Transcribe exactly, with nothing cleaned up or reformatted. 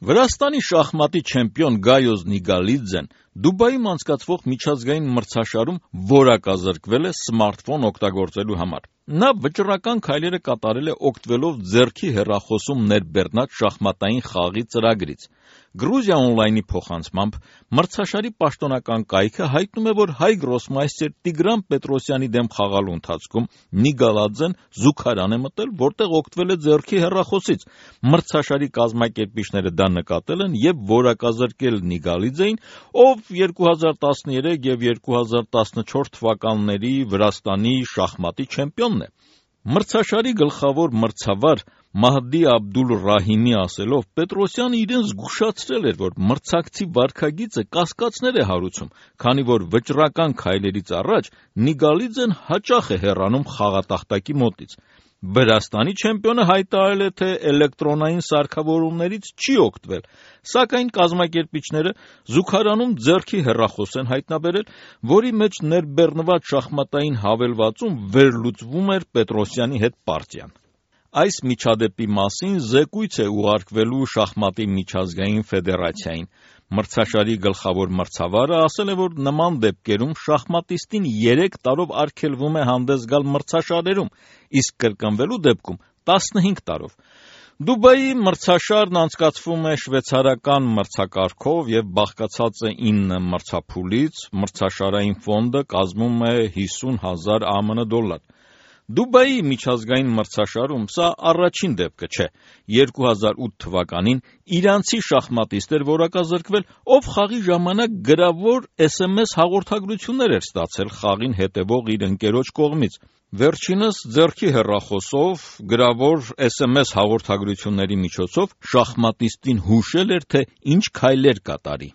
Վրաստանի շախմատի չեմպիոն Գայոզ Նիգալիձեն Դուբայում անցկացվող միջազգային մրցաշարում որակազրկվել է սմարթֆոն օգտագործելու համար։ Նա վճռական քայլերը կատարել է օգտվելով ձեռքի հեռախոսում ներբեռնած շախմատային խաղի ծրագրից։ Գրուզիա օնլայնի փոխանցմամբ մրցաշարի պաշտոնական կայքը հայտնում է, որ հայ գրոսմայստեր Տիգրան Պետրոսյանի դեմ խաղալու ընթացքում Նիգալաձեն զուգարան է մտել, որտեղ օգտվել է ձեռքի հեռախոսից։ Մրցաշարի կազմակերպիչները դա նկատել են եւ որակազրկել Նիգալիձեին, ով երկու հազար տասներեք եւ երկու հազար տասնչորս թվականների Վրաստանի շախմատի չեմպիոնն է։ Մրցաշարի գլխավոր մրցավար Մահդի Աբդուլ Ռահիմի ասելով, Պետրոսյանը իրեն զգուշացրել էր, որ մրցակցի վարքագիծը կասկածներ է հարուցում, քանի որ վճռական քայլերից առաջ Նիգալիձեն հաճախ է հեռանում խաղատախտակի մոտից։ Վրաստանի չեմպիոնը հայտարարել է, թե էլեկտրոնային սարքավորումներից չի օգտվել, սակայն կազմակերպիչները զուգարանում ձեռքի հեռախոս են հայտնաբերել, որի մեջ ներբեռնված շախմատային հավելվածում վերլուծվում էր Պետրոսյանի հետ պարտիան։ Այս միջադեպի մասին զեկույց է ուղարկվելու շախմատի միջազգային ֆեդերացիային։ Մրցաշարի գլխավոր մրցավարը ասել է, որ նման դեպքերում շախմատիստին երեք տարով արգելվում է հանդես գալ մրցաշարերում, իսկ կրկնվելու դեպքում տասնհինգ տարով։ Դուբայի մրցաշարն անցկացվում է շվեյցարական մրցակարգով եւ բաղկացած է ինը մրցափուլից, մրցաշարային ֆոնդը կազմում է հիսուն հազար ԱՄՆ դոլար։ Դուբայի միջազգային մրցաշարում սա առաջին դեպքը չէ։ երկու հազար ութ թվականին իրանցի շախմատիստ էր որակազրկվել, ով խաղի ժամանակ գրավոր էս էմ էս հաղորդագրություններ էր ստացել խաղին հետևող իր ընկերոջ կողմից։ Վերջինս ձեռքի հեռախոսով գրավոր էս էմ էս հաղորդագրությունների միջոցով շախմատիստին հուշել էր, թե ինչ քայլեր կատարի։